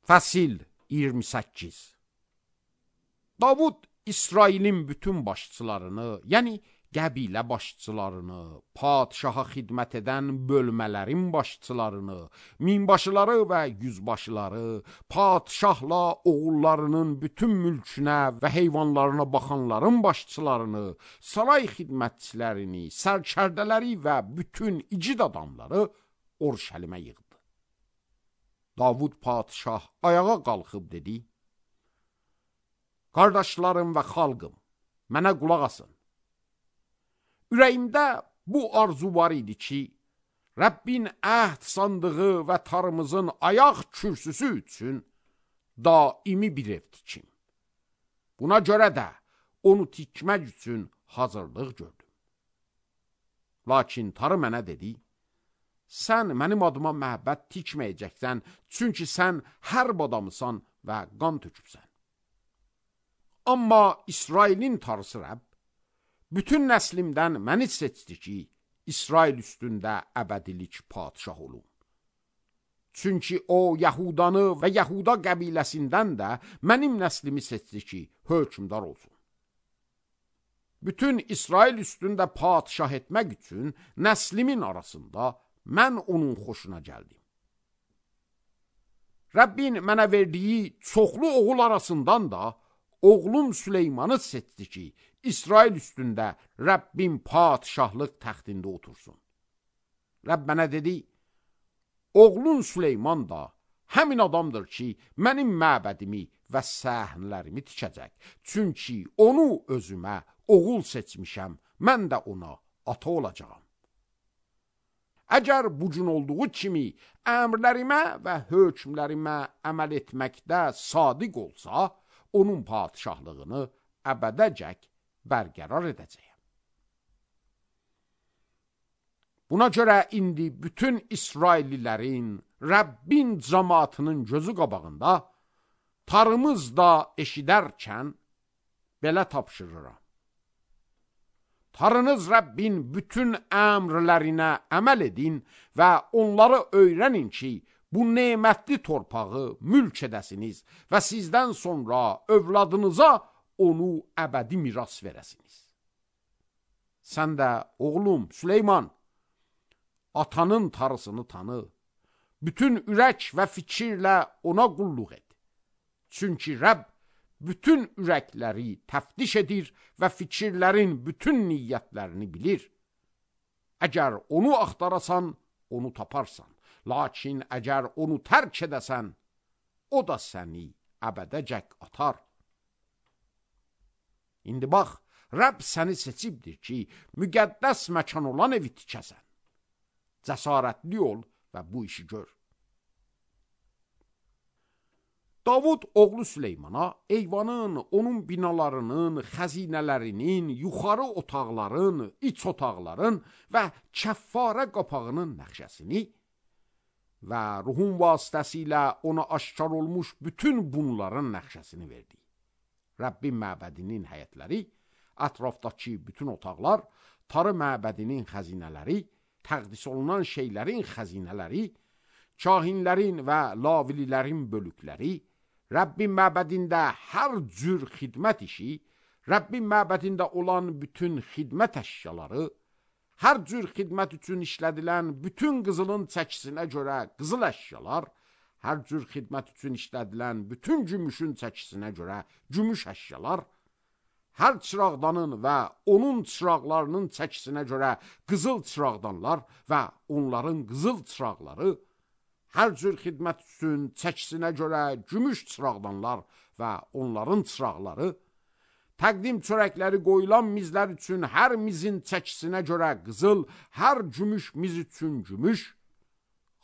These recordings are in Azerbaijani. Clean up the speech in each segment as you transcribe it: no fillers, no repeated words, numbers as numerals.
Fəsil 28. Davud İsrailin bütün başçılarını, yəni qəbilə başçılarını, padişaha xidmət edən bölmələrin başçılarını, minbaşıları və yüzbaşıları, padişahla oğullarının bütün mülkünə və heyvanlarına baxanların başçılarını, saray xidmətçilərini, sərkərdələri və bütün igid adamları Orşəlimə yığdı. Davud padişah ayağa qalxıb dedi: Qardaşlarım və xalqım, mənə qulaq asın. Ürəyimdə bu arzu var idi ki, Rəbbin əhd sandığı və tarımızın ayaq kürsüsü üçün daimi bir ev tikim. Buna görə də onu tikmək üçün hazırlıq gördüm. Lakin tarı mənə dedi: Sən mənim adıma məbəd tikməyəcəksən, çünki sən hərb adamısan və qan tökübsən. Amma İsrailin tarısı Rəbb, bütün nəslimdən məni seçdi ki, İsrail üstündə əbədilik padişah olum. Çünki o, Yahudanı və Yahuda qəbiləsindən də mənim nəslimi seçdi ki, hökmdar olsun. Bütün İsrail üstündə padişah etmək üçün nəslimin arasında mən onun xoşuna gəldim. Rəbbin mənə verdiyi çoxlu oğul arasından da oğlum Süleymanı seçdi ki, İsrail üstündə Rəbbin padişahlıq təxtində otursun. Rəbb mənə dedi: Oğlun Süleyman da həmin adamdır ki, mənim məbədimi və səhnələrimi tikəcək. Çünki onu özümə oğul seçmişəm, mən də ona ata olacağam. Əgər bu gün olduğu kimi əmrlərimə və hökmlərimə əməl etməkdə sadiq olsa, onun padişahlığını əbədəcək bərqərar edəcəyəm. Buna görə indi bütün İsraillilərin, Rəbbin cəmaatının gözü qabağında tarımız da eşidərkən belə tapşırıram. Tarınız Rəbbin bütün əmrlərinə əməl edin və onları öyrənin ki, bu nemətli torpağı mülk edəsiniz və sizdən sonra övladınıza onu əbədi miras verəsiniz. Sən də, oğlum Süleyman, atanın tarısını tanı, bütün ürək və fikirlə ona qulluq et. Çünki Rəbb bütün ürəkləri təftiş edir və fikirlərin bütün niyyətlərini bilir. Əgər onu axtarasan, onu taparsan. Lakin əgər onu tərk edəsən, o da səni əbədəcək atar. İndi bax, Rəbb səni seçibdir ki, müqəddəs məkan olan evi tikəsən. Cəsarətli ol və bu işi gör. Davud oğlu Süleymana eyvanın, onun binalarının, xəzinələrinin, yuxarı otaqların, iç otaqların və kəffarə qapağının nəqşəsini və ruhun vasitəsilə ona aşkar olmuş bütün bunların nəqşəsini verdi. Rəbbin məbədinin həyətləri, ətrafdakı bütün otaqlar, tarı məbədinin xəzinələri, təqdis olunan şeylərin xəzinələri, kahinlərin və lavililərin bölükləri, Rəbbin məbədində hər cür xidmət işi, Rəbbin məbədində olan bütün xidmət əşyaları, hər cür xidmət üçün işlədilən bütün qızılın çəkisinə görə qızıl əşyalar, hər cür xidmət üçün işlədilən bütün gümüşün çəkisinə görə gümüş əşyalar, hər çıraqdanın və onun çıraqlarının çəkisinə görə qızıl çıraqdanlar və onların qızıl çıraqları, hər cür xidmət üçün çəkisinə görə gümüş çıraqdanlar və onların çıraqları, təqdim çörəkləri qoyulan mizlər üçün hər mizin çəkisinə görə qızıl, hər gümüş miz üçün gümüş,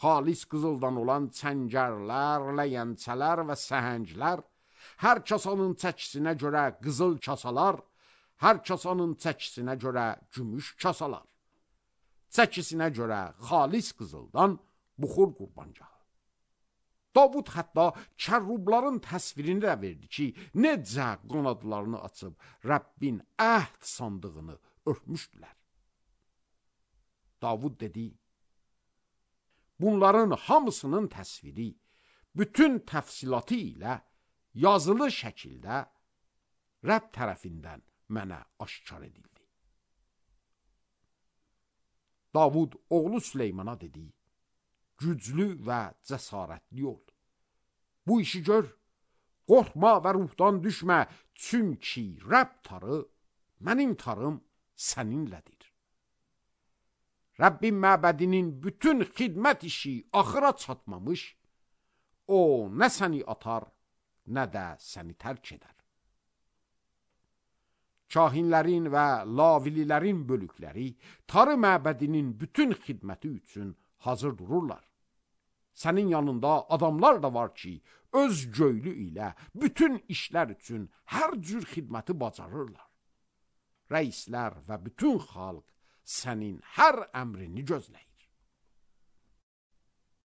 xalis qızıldan olan çəngərlər, ləyəncələr və səhənglər, hər kasanın çəkisinə görə qızıl kasalar, hər kasanın çəkisinə görə gümüş kasalar, çəkisinə görə xalis qızıldan buxur qurbancağı. Davud hətta kərrubların təsvirini də verdi ki, necə qanadlarını açıb Rəbbin əhd sandığını örtmüşdülər. Davud dedi: Bunların hamısının təsviri bütün təfsilatı ilə yazılı şəkildə Rəbb tərəfindən mənə aşkar edildi. Davud oğlu Süleymana dedi, güclü və cəsarətli ol. Bu işi gör, qorxma və ruhdan düşmə, çünki Rəbb tarı, mənim tarım səninlədir. Rəbbin məbədinin bütün xidmət işi axıra çatmamış, o nə səni atar, nə də səni tərk edər. Kahinlərin və lavililərin bölükləri tarı məbədinin bütün xidməti üçün hazır dururlar. Sənin yanında adamlar da var ki, öz göylü ilə bütün işlər üçün hər cür xidməti bacarırlar. Rəislər və bütün xalq sənin hər əmrini gözləyir.